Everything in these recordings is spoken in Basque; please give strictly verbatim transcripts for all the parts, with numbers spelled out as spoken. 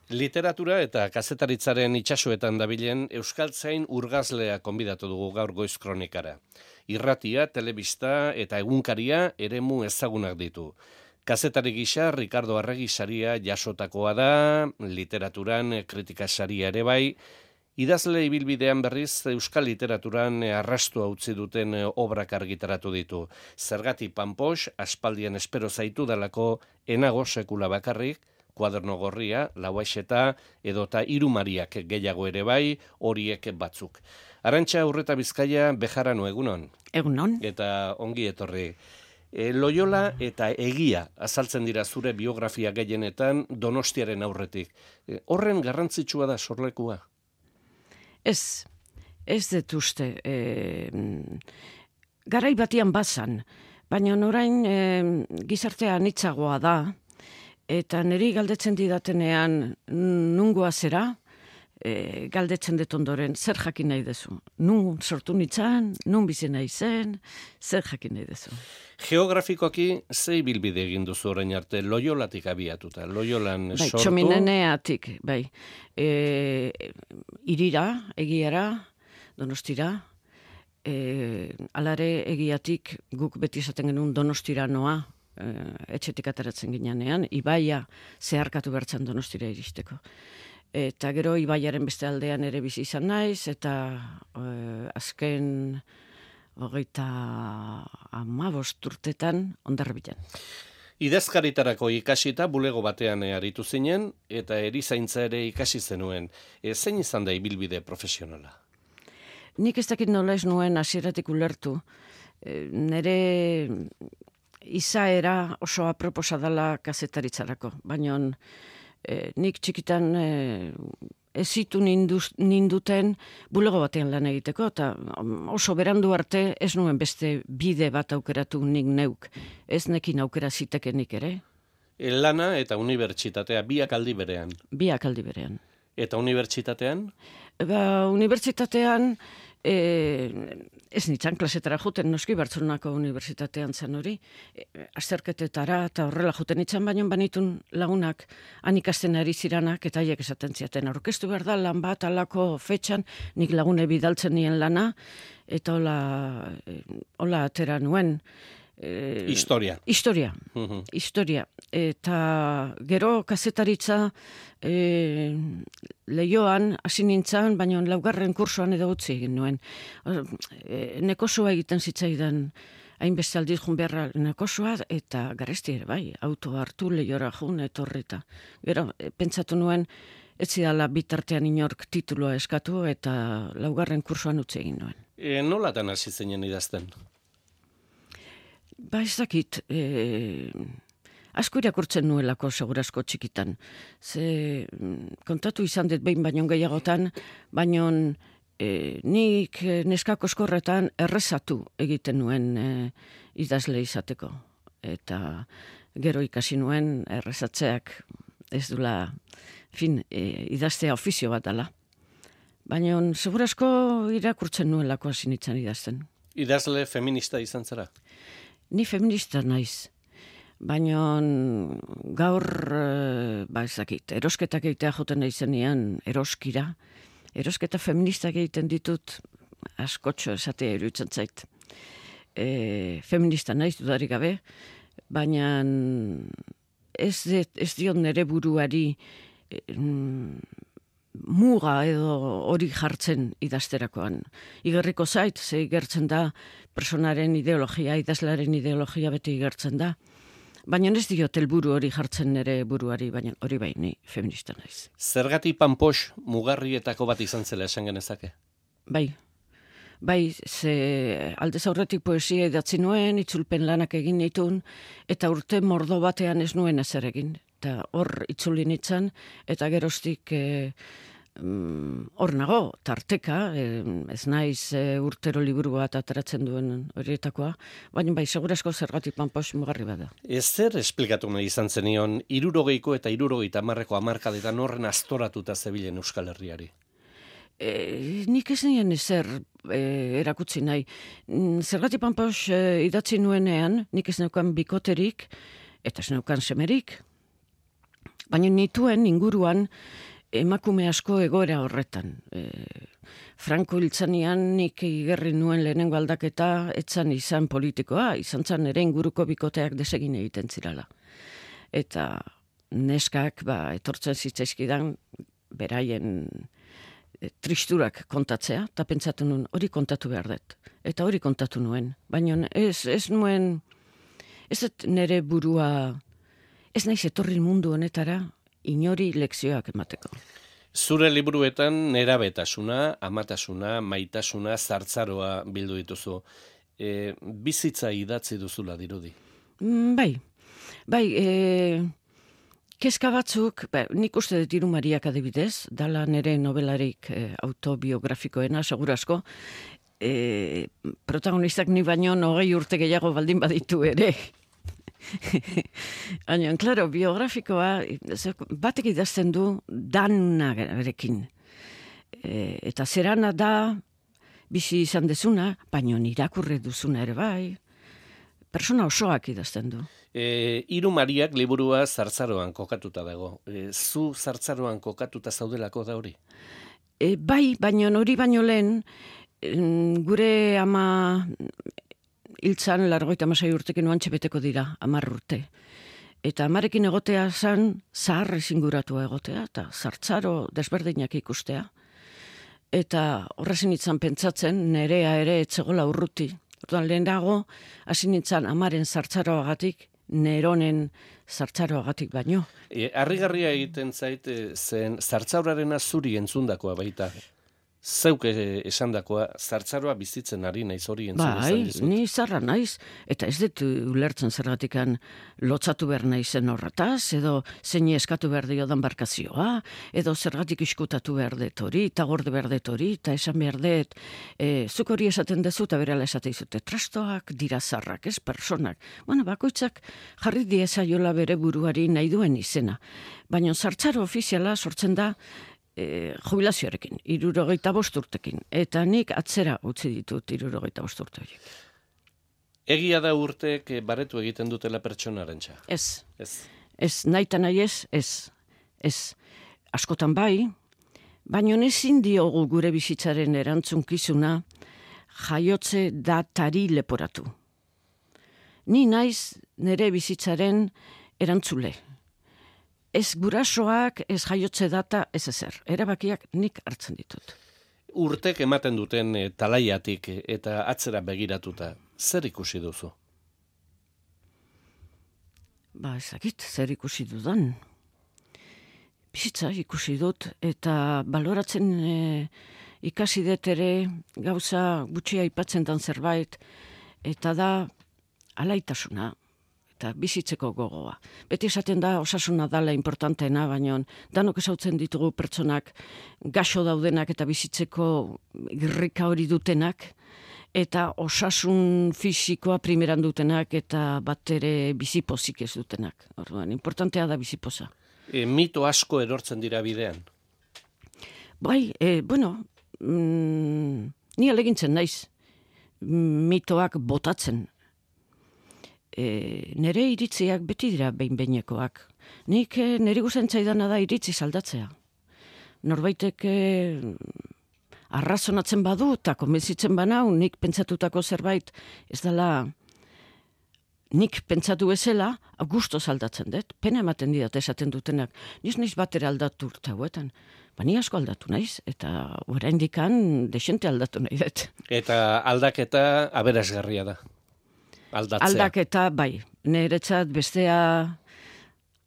Literatura eta kazetaritzaren itsasoetan dabilen euskaltzain urgazlea konbidatu dugu gaur Goiz Kronikara. Irratia, telebista eta egunkaria eremu ezagunak ditu. Kazetari gisa Ricardo Arregi saria jasotakoa da, literaturan kritika saria ere bai, idazle ibilbidean berriz euskal literaturan arrastua utzi duten obrak argitaratu ditu. Zergati Panpox, aspaldian espero zaitu dalako enago sekula bakarrik, Kuaderno gorria, Lauaxeta edota Irumariak gehiago ere bai, horiek batzuk. Arantxa Urreta Bizkaia Bejarano egunon. Egunon. Eta ongi etorri. E, Loyola eta egia azaltzen dira zure biografia gehienetan Donostiaren aurretik. E, horren garrantzitsua da sorlekua? Ez, ez dut uste. E, garai batian bazan, baina orain e, gizartea anitzagoa da. Eta niri galdetzen didatenean nungoa zera, e, galdetzen dut ondoren, zer jakin nahi dezu? Nun sortu nitzan, nun bizi nahi zen, zer jakin nahi dezu? Geografikoki ze ibilbide egin duzu orain arte, Loyolatik abiatuta, Loyolan bai, sortu? Txomineneatik, bai. E, irira, egiara, Donostira, e, alare egiatik guk beti esaten genuen Donostira noa, etxetik ateratzen ginean, ibaia zeharkatu bertzen Donostira iristeko. Eta gero ibaiaren beste aldean ere bizi izan naiz, eta eh, azken hogeita hamabost urtetan Hondarribian. Idazkaritarako ikasita bulego batean aritu zinen, eta erizaintza ere ikasi zenuen. E, zein izan da ibilbide profesionala? Nik ez dakit nola ez nuen hasieratik ulertu. E, nere izaera oso aproposa dela kazetaritzarako, baina e, nik txikitan e, ezitu ninduz, ninduten bulego batean lan egiteko, eta oso berandu arte ez nuen beste bide bat aukeratu nik neuk, ez nekin aukera zitekenik ere. E, lana eta unibertsitatea biak aldi berean. Biak aldi berean. Eta unibertsitatean? Ba, unibertsitatean E, ez nintzen klasetara juten, noski Bartzelonako unibertsitatean zen hori, e, azterketetara eta horrela juten nintzen, baina banitun lagunak han ikasten ari ziranak eta haiek esaten ziaten. Aurkeztu behar da lan bat alako fetxan, nik lagune bidaltzen nien lana, eta hola, e, hola atera nuen. E, historia. Historia, uh-huh. historia. Eta gero kazetaritza e, lehioan hasi nintzen, baina laugarren kursoan edo utzi egin nuen. E, nekosua egiten zitzaidan hainbeste aldiz jun beharra nekosua, eta garesti ere bai, auto hartu lehiora jun etorrita. Gero, e, pentsatu nuen, ez zidala bitartean inork tituloa eskatu, eta laugarren kursoan utzi egin nuen. E, nolatan hasi zinen idazten? Ba ez dakit, e, asko irakurtzen nuelako segurazko txikitan. Ze kontatu izan dut behin baino gehiagotan, baino e, nik neskako eskorretan errezatu egiten nuen e, idazle izateko. Eta gero ikasi nuen errezatzeak ez dula, fin, e, idaztea ofizio bat dela. Baina segurazko irakurtzen nuelako hasi nintzen idazten. Idazle feminista izan zara? Ni feminista naiz, baina gaur, ba ezakit, erosketak egitea joten naizenean eroskira, erosketa feministak egiten ditut askotxo esatea iruditzen zait. E, feminista naiz dudarik gabe, baina ez, ez diot nere buruari e, muga edo hori jartzen idazterakoan. Igerriko zait, ze igertzen da personaren ideologia, idazlaren ideologia beti igertzen da. Baina ez diot helburu hori jartzen nere buruari, baina hori bai, ni feminista naiz. Zergati Panpox mugarrietako bat izan zela esan genezake? Bai. Bai, ze aldez aurretik poesia idatzi nuen, itzulpen lanak egin nitun, eta urte mordo batean ez nuen ezer egin. Eta hor itzuli nintzen, eta geroztik e, hor nago, tarteka, e, ez naiz e, urtero liburu bat ateratzen duen horietakoa, baina bai, segurazko Zergati Panpox mugarri bada. Ez zer esplikatu nahi izan zenion, hirurogeiko eta hirurogeita hamarreko hamarkadetan horren astoratuta zebilen Euskal Herriari? E, nik ez nien ezer e, erakutsi nahi. Zergati Panpox e, idatzi nuenean, nik ez neukan bikoterik, eta ez neukan semerik. Baina nituen inguruan emakume asko egoera horretan. E, Franco hiltzanian nik igerri nuen lehenengo aldaketa etzan izan politikoa, izan zan ere inguruko bikoteak desegin egiten zirala. Eta neskak ba, etortzen zitzaizkidan beraien e, tristurak kontatzea, eta pentsatu nuen hori kontatu behar dut. Eta hori kontatu nuen. Baina ez, ez nuen, ez dut nire burua, ez naiz etorri mundu honetara inori lekzioak emateko. Zure liburuetan nerabetasuna, amatasuna, maitasuna, zartzaroa bildu dituzu. E, bizitza idatzi duzula dirudi. Mm, bai, bai, e, kezka batzuk, ba, nik uste dut Hiru Mariak adibidez, dala nere nobelarik e, autobiografikoena, segurazko, e, protagonistak ni baino hogei urte gehiago baldin baditu ere. Baina, klaro, biografikoa batek idazten du danarekin. E, eta zerana da bizi izan dezuna, baina irakurri duzuna ere bai. Persona osoak idazten du. E, Hiru Mariak liburua zartzaroan kokatuta dago. E, zu zartzaroan kokatuta zaudelako da hori? E, bai, baina hori baino lehen, gure ama hiltzan largoita amasei urtekin oantxe beteko dira, amar urte. Eta amarekin egotea zan, zahar ezinguratua egotea, eta zartzaro desberdinak ikustea. Eta horrezen itzan pentsatzen, nerea ere etzegola urruti. Orduan lehenago, hasi nintzen amaren zartzaroagatik, neronen zartzaroagatik baino. E, harrigarria egiten zait, e, zen zartzauraren zuri entzundakoa baita. Zeuk esandakoa, zartzaroa bizitzen ari naiz hori entzun izan dizut. Bai, ni zarra naiz, eta ez dut ulertzen zergatikan lotzatu behar naizen horretaz, edo zein eskatu behar diodan barkazioa, edo zergatik iskutatu behar dut hori, eta gorde behar dut hori, eta esan behar dut, e, zuk hori esaten dezu, eta berala esate izute, trastoak dira zarrak, ez personak. Bueno, bakoitzak jarri diezaiola bere buruari nahi duen izena. Baina zartzaro ofiziala sortzen da, E, jubilazioarekin, hirurogeita bost urtekin. Eta nik atzera utzi ditut hirurogeita bost urte horiek. Egia da urteek baretu egiten dutela pertsonarentza? Ez. Ez. Ez, nahi eta nahi ez, ez. Ez. Askotan bai, baina ezin diogu gure bizitzaren erantzunkizuna jaiotze datari leporatu. Ni naiz nire bizitzaren erantzule. Ez gurasoak, ez jaiotze data, ez ezer. Erabakiak nik hartzen ditut. Urtek ematen duten e, talaiatik eta atzera begiratuta, zer ikusi duzu? Ba, ezakit, zer ikusi dudan. Bizitza ikusi dut, eta baloratzen e, ikasi dut ere gauza gutxia aipatzen dan zerbait, eta da alaitasuna. Eta bizitzeko gogoa. Beti esaten da osasuna dala importanteena, baina danok esautzen ditugu pertsonak gaxo daudenak eta bizitzeko irrika hori dutenak, eta osasun fisikoa primeran dutenak eta bat ere bizipozik ez dutenak. Orduan, importantea da bizipoza. E, mito asko erortzen dira bidean? Bai, e, bueno, mm, ni alegintzen naiz mitoak botatzen. E, nere iritziak beti dira behin-behinekoak. Nik e, niri guzen zaidana da iritzi saldatzea. Norbaitek e, arrazonatzen badu eta konbentzitzen banau, nik pentsatutako zerbait ez dela nik pentsatu bezala, gusto aldatzen dut. Pena ematen didat esaten dutenak. Niz naiz batera aldatu urte hauetan. Ba, ni asko aldatu naiz, eta oraindikan desente aldatu nahi dut. Eta aldaketa aberasgarria da. Aldatzea. Aldaketa, bai, niretzat bestea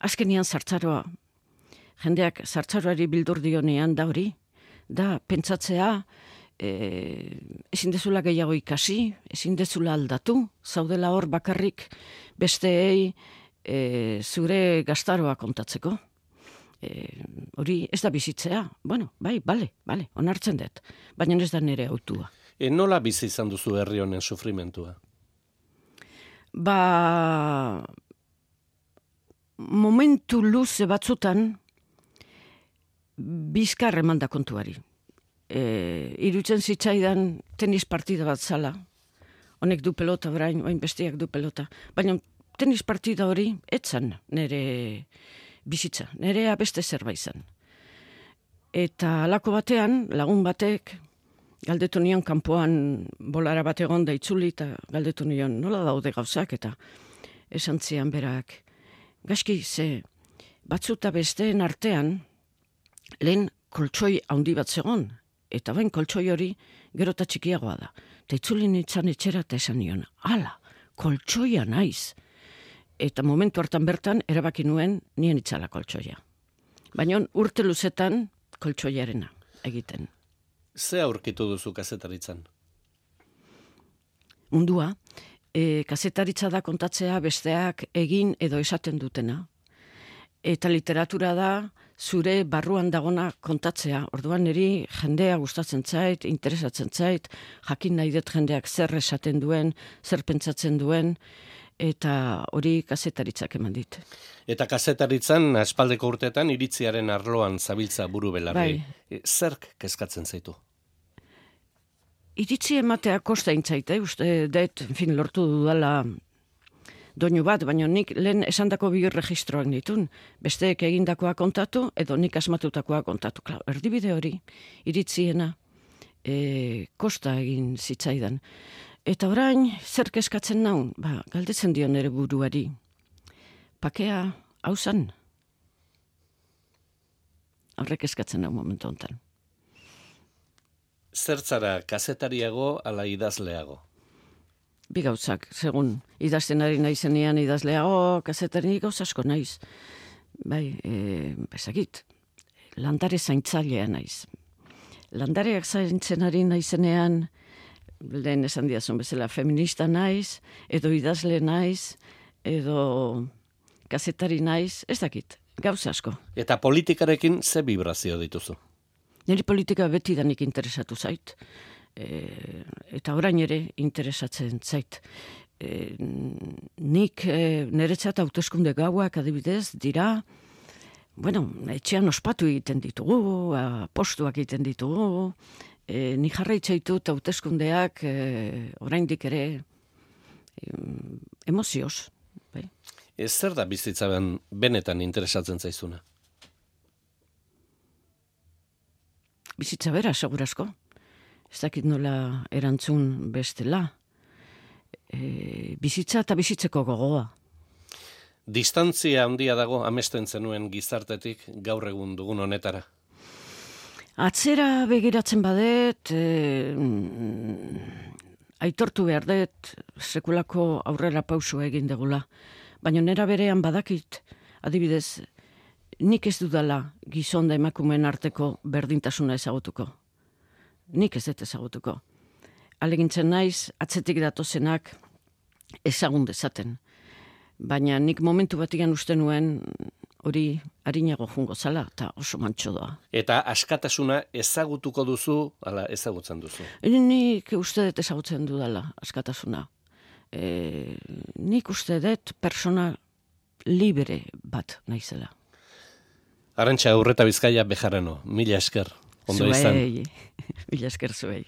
azkenian zartzaroa. Jendeak zartzaroari bildur dionean da hori, da pentsatzea e, ezin dezula gehiago ikasi, ezin dezula aldatu, zaudela hor bakarrik besteei e, zure gaztaroa kontatzeko. E, hori ez da bizitzea. Bueno, bai, bale, bale, onartzen dut, baina ez da nire autua. E, nola bizi izan duzu herri honen sufrimentua? Ba, momentu luze batzutan bizkar emanda kontuari. E, irutzen zitzaidan tenis partida bat zala. Honek du pelota orain, oain bestiak du pelota. Baina tenis partida hori etzan nire bizitza, nerea beste zerbait zen. Eta halako batean, lagun batek, galdetu nion kanpoan bolara bat egon da itzuli, eta galdetu nion nola daude gauzak, eta esan zian berak, gaizki ze batzuta besteen artean, lehen koltsoi handi bat zegon, eta bain koltsoi hori gero eta txikiagoa da. Eta itzuli nintzen etxera eta esan nion, ala, koltsoia naiz. Eta momentu hartan bertan, erabaki nuen nien itzala koltsoia. Baina urte luzetan koltsoiarena egiten. Ze aurkitu duzu kazetaritzan? Mundua, e, kazetaritza da kontatzea besteak egin edo esaten dutena. Eta literatura da zure barruan dagona kontatzea. Orduan niri jendea gustatzen zait, interesatzen zait, jakin nahi dut jendeak zer esaten duen, zer pentsatzen duen, eta hori kazetaritzak eman dit. Eta kazetaritzan, aspaldeko urteetan, iritziaren arloan zabiltza buru belarri. Bai. Zerk kezkatzen zaitu? Iritzi ematea kosta intzaite, uste dut, en fin, lortu dudala doinu bat, baina nik lehen esandako bi registroak nitun. Besteek egindakoa kontatu, edo nik asmatutakoa kontatu. Klar, erdibide hori, iritziena, e, kosta egin zitzaidan. Eta orain, zer kezkatzen naun? Ba, galdetzen dio nere buruari. Pakea, hau zan? Horrek eskatzen naun momentu honetan. Zertzara, kazetariago ala idazleago? Bi gauzak, segun idazten ari naizenean idazleago, kazetari gauz asko naiz. Bai, e, bezakit, landare zaintzailea naiz. Landareak zaintzen ari naizenean, lehen esan diazun bezala, feminista naiz, edo idazle naiz, edo kazetari naiz, ez dakit, gauz asko. Eta politikarekin ze vibrazio dituzu? Niri politika beti danik interesatu zait. E, eta orain ere interesatzen zait. E, nik e, niretzat hauteskunde gauak adibidez dira, bueno, etxean ospatu egiten ditugu, postuak egiten ditugu, e, nik jarraitzaitut hauteskundeak e, oraindik ere e, emozioz. Bai. Ez zer da bizitzaben benetan interesatzen zaizuna? Bizitza bera, segurazko. Ez dakit nola erantzun bestela. E, bizitza eta bizitzeko gogoa. Distantzia handia dago amesten zenuen gizartetik gaur egun dugun honetara? Atzera begiratzen badet, e, aitortu behar dut sekulako aurrera pausua egin degula. Baina nera berean badakit, adibidez, nik ez dudala gizon da emakumeen arteko berdintasuna ezagutuko. Nik ez dut ezagutuko. Alegintzen naiz, atzetik datozenak ezagun dezaten. Baina nik momentu batigan uste nuen hori harinago jungo zala, eta oso mantxo doa. Eta askatasuna ezagutuko duzu, ala ezagutzen duzu? Nik uste dut ezagutzen dudala askatasuna. E, nik uste dut persona libre bat naizela. Arantxa Urreta Bizkaia Bejarano, mila esker, ondo izan. Zuei, mila esker zuei.